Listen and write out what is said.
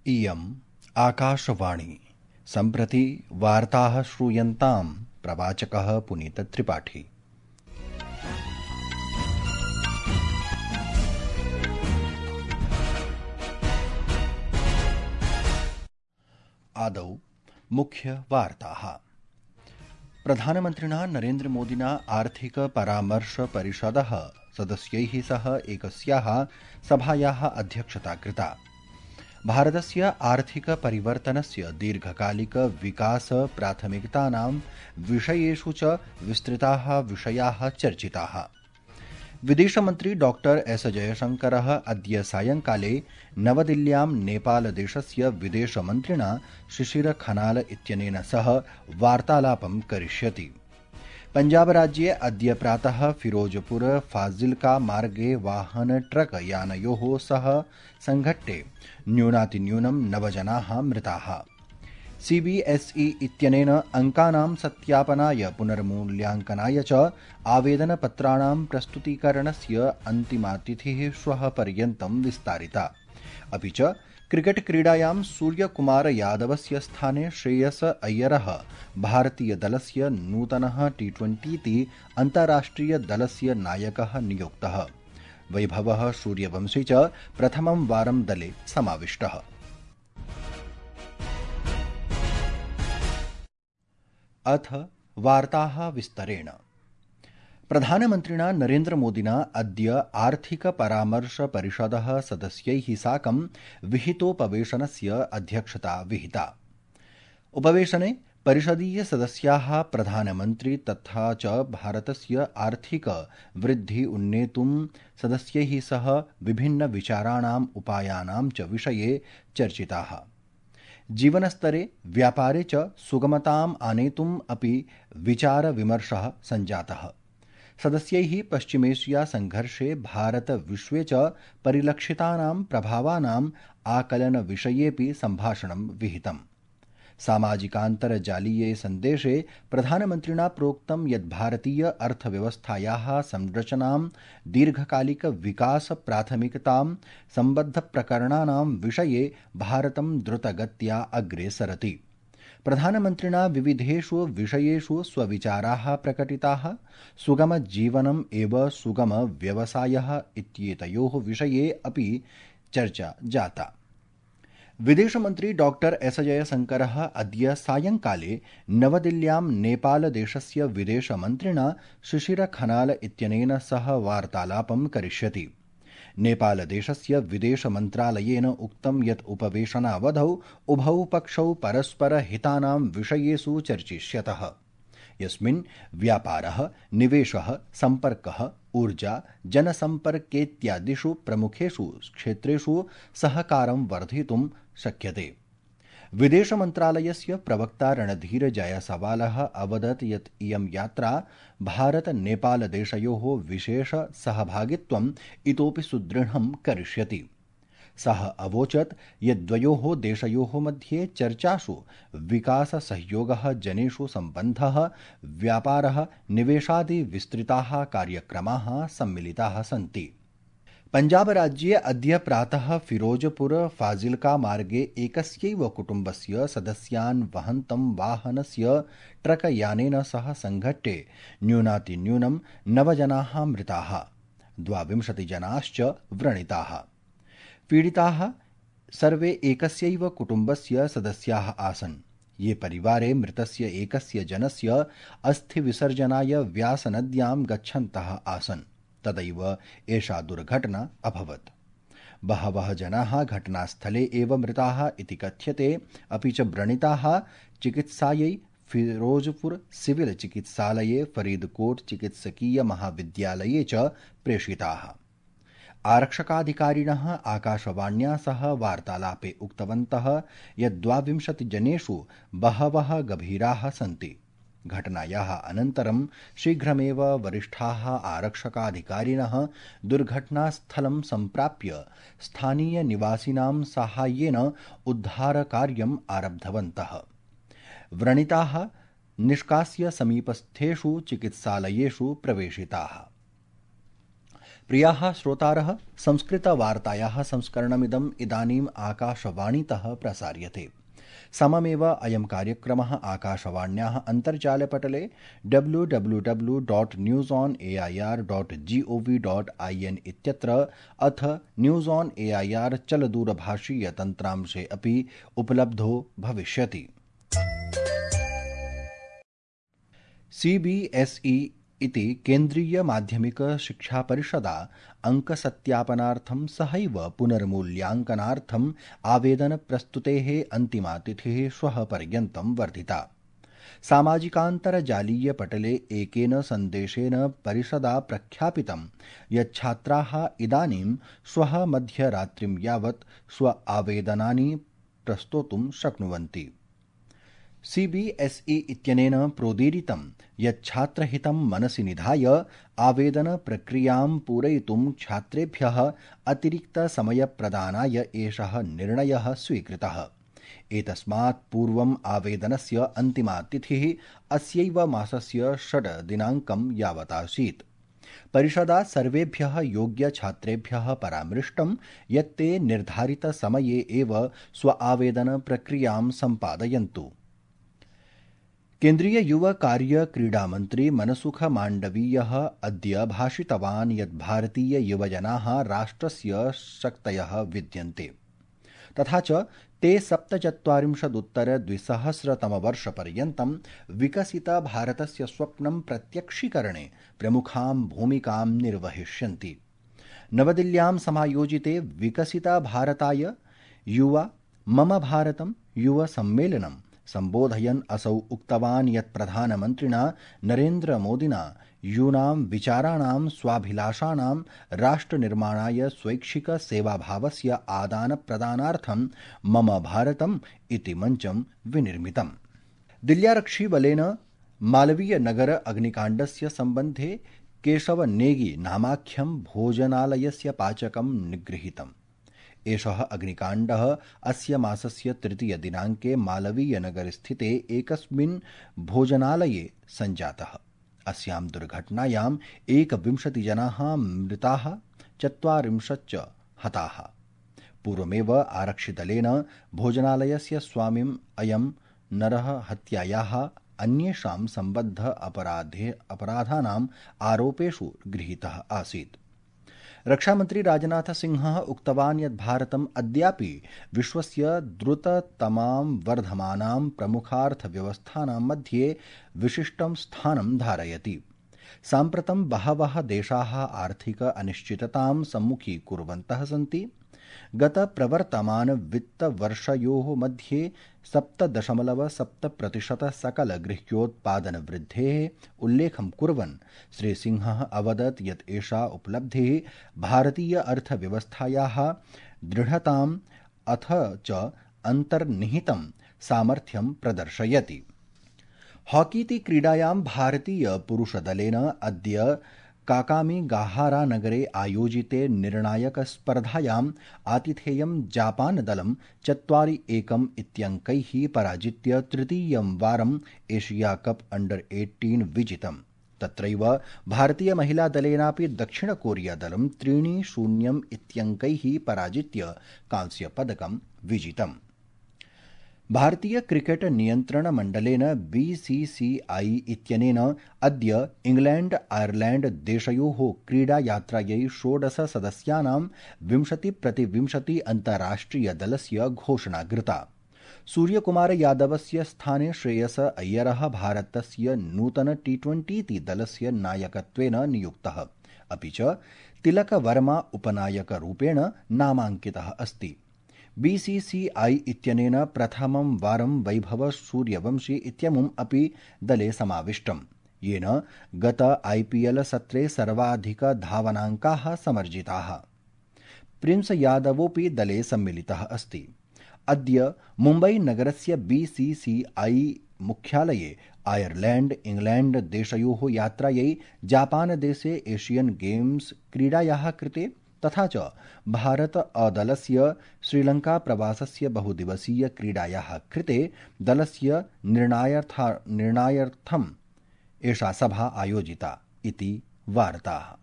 इयम् आकाशवाणी। सम्प्रति वार्ताः श्रूयन्तां प्रवाचकः पुनीतत्रिपाठी। आदौ मुख्यवार्ताः। प्रधानमन्त्रिणा नरेन्द्रमोदिना आर्थिकपरामर्शपरिषदः सदस्यैः सह एकस्याः सभायाः अध्यक्षता कृता। भारतस्य आर्थिकपरिवर्तनस्य दीर्घकालिकविकासप्राथमिकतानां विषयेषु च विस्तृताः विषयाः चर्चिताः। विदेशमन्त्री डॉ एस जयशंकरः अद्य सायंकाले नवदिल्ल्यां नेपालदेशस्य विदेशमन्त्रिणा शिशिर खनाल इत्यनेन सह वार्तालापं करिष्यति। पञ्जाबराज्ये अद्य प्रातः फिरोजपुर फाजिल्का मार्गे वाहन ट्रक यानयोः सह संघट्टे न्यूनातिन्यूनं 9 जनाः मृताः। सीबीएसई इत्यनेन अंकानां सत्यापनाय पुनर्मूल्याङ्कनाय च आवेदनपत्राणां प्रस्तुतीकरणस्य अन्तिमातिथिः श्वः पर्यन्तं विस्तारिता। अपि च क्रिकेट क्रीडायां सूर्यकुमार यादवस्य स्थाने श्रेयस अय्यरः भारतीयदलस्य नूतनः T20 अन्ताराष्ट्रियदलस्य नायकः नियुक्तः। वैभवः सूर्यवंशी च प्रथमं वारं दले समाविष्टः। अथ वार्ताः विस्तरेण। प्रधानमन्त्रिणा नरेन्द्रमोदिना अद्य आर्थिकपरामर्शपरिषदः सदस्यैः साकं विहितोपवेशनस्य अध्यक्षता विहिता। उपवेशने परिषदीयसदस्याः प्रधानमन्त्री तथा च भारतस्य आर्थिक वृद्धि उन्नेतुं सदस्यैः सह विभिन्नविचाराणाम् उपायानां च विषये चर्चिताः। जीवनस्तरे व्यापारे च सुगमताम् आनेतुम् अपि विचारविमर्शः सञ्जातः। सदस्यैः पश्चिमेशिया संघर्षे भारत विश्वे च परिलक्षितानां प्रभावानाम् आकलनविषयेऽपि सम्भाषणं विहितम्। सामाजिकान्तर्जालीये सन्देशे प्रधानमन्त्रिणा प्रोक्तं यत् भारतीय अर्थव्यवस्थायाः संरचनां दीर्घकालिकविकासप्राथमिकतां सम्बद्धप्रकरणानां विषये भारतं द्रुतगत्या अग्रे सरति। प्रधानमन्त्रिणा विविधेषु विषयेषु स्वविचाराः प्रकटिताः। सुगमजीवनम् एव सुगमव्यवसायः इत्येतयोः विषये अपि चर्चा जाता। विदेशमन्त्री डॉ एस जयशंकरः अद्य सायंकाले नवदिल्ल्यां नेपालदेशस्य विदेशमन्त्रिणा शिशिर खनाल इत्यनेन सह वार्तालापं करिष्यति। नेपालदेशस्य विदेशमन्त्रालयेन उक्तं यत् उपवेशनावधौ उभौ पक्षौ परस्परहितानां विषयेषु चर्चिष्यतः, यस्मिन् व्यापारः, निवेशः, सम्पर्कः, ऊर्जा, जनसम्पर्केत्यादिषु प्रमुखेषु क्षेत्रेषु सहकारं वर्धितुं शक्यते। विदेशमन्त्रालयस्य प्रवक्ता रणधीर जायसवालः अवदत् यत् इयं यात्रा भारत-नेपालदेशयोः विशेष सहभागित्वम् इतोपि सुदृढं करिष्यति। सः अवोचत् यत् द्वयोः देशयोः मध्ये चर्चासु विकाससहयोगः, जनेषु सम्बन्धः, व्यापारः, निवेशादि विस्तृताः कार्यक्रमाः सम्मिलिताः सन्ति। पञ्जाबराज्ये अद्य प्रातः फिरोजपुर फाजिल्का मार्गे एकस्यैव कुटुम्बस्य सदस्यान् वहन्तं वाहनस्य ट्रक यानेन सह संघट्टे न्यूनातिन्यूनं 9 जनाः मृताः, 22 जनाश्च व्रणिताः। पीडिताः सर्वे एकस्यैव कुटुम्बस्य सदस्याः आसन्। ये परिवारे मृतस्य एकस्य जनस्य अस्थिविसर्जनाय व्यासनद्यां गच्छन्तः आसन्, तदैव एषा दुर्घटना अभवत्। बहवः जनाः घटनास्थले एव मृताः इति कथ्यते। अपि च व्रणिताः चिकित्सायै फिरोजपुर सिविल चिकित्सालये, फरीदकोट चिकित्सकीय महाविद्यालये च प्रेषिताः। आरक्षकाधिकारिणः आकाशवाण्या सह वार्तालापे उक्तवन्तः यत् 22 जनेषु बहवः गभीराः सन्ति। घटनायाः अनन्तरं शीघ्रमेव वरिष्ठाः आरक्षकाधिकारिणः दुर्घटनास्थलं सम्प्राप्य स्थानीयनिवासिनां साहाय्येन उद्धारकार्यम् आरब्धवन्तः। व्रणिताः निष्कास्य समीपस्थेषु चिकित्सालयेषु प्रवेशिताः। प्रियाः श्रोतारः, संस्कृतवार्तायाः संस्करणमिदम् इदानीम् आकाशवाणीतः प्रसार्यते। सममेव अयं कार्यक्रमः आकाशवाण्याः अन्तर्जालपटले www.newsonair.gov.in इत्यत्र अथ न्यूज़ ऑन एआईआर चलदूरभाषीयतन्त्रांशे अपि उपलब्धो भविष्यति। CBSE इति केन्द्रीयमाध्यमिकशिक्षापरिषदा अङ्कसत्यापनार्थं सहैव पुनर्मूल्याङ्कनार्थम् आवेदनप्रस्तुतेः अन्तिमा तिथिः श्वः पर्यन्तं वर्धिता। सामाजिकान्तर्जालीयपटले एकेन सन्देशेन परिषदा प्रख्यापितं यत् छात्राः इदानीं श्वः मध्यरात्रिं यावत् स्व आवेदनानि प्रस्तोतुं शक्नुवन्ति। CBSE इत्यनेन प्रोदीरितं यत् छात्रहितं मनसि निधाय आवेदनप्रक्रियां पूरयितुं छात्रेभ्यः अतिरिक्तसमयप्रदानाय एषः निर्णयः स्वीकृतः। एतस्मात् पूर्वम् आवेदनस्य अन्तिमा तिथिः अस्यैव मासस्य 6 दिनाङ्कं यावतासीत्। परिषदा सर्वेभ्यः योग्यछात्रेभ्यः परामृष्टं यत् ते निर्धारितसमये एव स्व आवेदनप्रक्रियां सम्पादयन्तु। केन्द्रीय युव कार्य क्रीडामन्त्री मनसुख माण्डवीयः अद्य भाषितवान् यत् भारतीय युवजनाः राष्ट्रस्य शक्तयः विद्यन्ते, तथा च ते 47-उत्तर-2000तमवर्षपर्यन्तं विकसितभारतस्य स्वप्नं प्रत्यक्षीकरणे प्रमुखां भूमिकां निर्वहिष्यन्ति। नवदिल्ल्यां समायोजिते विकसितभारताय युवा मम भारतं युव सम्मेलनं सम्बोधयन् असौ उक्तवान् यत् प्रधानमन्त्रिणा नरेन्द्रमोदिना यूनां विचाराणां स्वाभिलाषाणां राष्ट्रनिर्माणाय स्वैच्छिकसेवाभावस्य आदानप्रदानार्थं मम भारतम् इति मञ्चं विनिर्मितम्। दिल्ल्यारक्षिबलेन मालवीयनगर अग्निकाण्डस्य सम्बन्धे केशव नेगी नामाख्यं भोजनालयस्य पाचकं निगृहीतम्। एषः अग्निकाण्डः अस्य मासस्य 3 दिनाङ्के मालवीयनगरस्थिते एकस्मिन् भोजनालये सञ्जातः। अस्यां दुर्घटनायां 21 जनाः मृताः, 40 हताः। पूर्वमेव आरक्षिदलेन भोजनालयस्य स्वामिम् अयं नरः हत्यायाः अन्येषां सम्बद्ध अपराधानाम् आरोपेषु गृहीतः आसीत्। रक्षामन्त्री राजनाथ सिंहः उक्तवान् यत् भारतम् अद्यापि विश्वस्य द्रुततमां वर्धमानां प्रमुखार्थव्यवस्थानां मध्ये विशिष्टं स्थानं धारयति। साम्प्रतं बहवः देशाः आर्थिक अनिश्चिततां सम्मुखीकुर्वन्तः सन्ति। गतप्रवर्तमानवित्तवर्षयोः मध्ये 7.7% सकलगृह्योत्पादनवृद्धेः उल्लेखं कुर्वन् श्रीसिंहः अवदत् यत् एषा उपलब्धिः भारतीय अर्थव्यवस्थायाः दृढताम् अथ च अन्तर्निहितं सामर्थ्यं प्रदर्शयति। हॉकीति क्रीडायां भारतीयपुरुषदलेन अद्य काकामिगाहारानगरे आयोजिते निर्णायकस्पर्धायाम् आतिथेयं जापानदलं 4-1 इत्यङ्कैः पराजित्य तृतीयं वारम् एशिया कप अंडर-18 विजितम्। तत्रैव भारतीयमहिलादलेनापि दक्षिणकोरियादलं 3-0 इत्यङ्कैः पराजित्य कांस्यपदकं विजितम्। भारतीय क्रिकेट नियन्त्रण मण्डलेन BCCI इत्यनेन अद्य इंग्लैंड आयरलैंड देशयोः क्रीडायात्रायै 16 सदस्यानां 20-20 अन्ताराष्ट्रियदलस्य घोषणा कृता। सूर्यकुमार यादवस्य स्थाने श्रेयस अय्यरः भारतस्य नूतन T20 दलस्य नायकत्वेन नियुक्तः, अपि च तिलक वर्मा उपनायकरूपेण नामाङ्कितः अस्ति। BCCI इत्यनेन प्रथमं वारं वैभव सूर्यवंशी इत्यमुम् अपि दले समाविष्टम्, येन गत IPL सत्रे सर्वाधिकधावनाङ्काः समर्जिताः। प्रिंस यादवोऽपि दले सम्मिलितः अस्ति। अद्य मुम्बईनगरस्य BCCI मुख्यालये आयरलैंड इंग्लैंड देशयोः यात्रायै जापानदेशे एशियन गेम्स क्रीडायाः कृते तथा च भारत अदलस्य श्रीलंका प्रवासस्य बहुदिवसीय क्रीडायाः कृते दलस्य निर्णायार्थम् एषा सभा आयोजिता इति वार्ताः।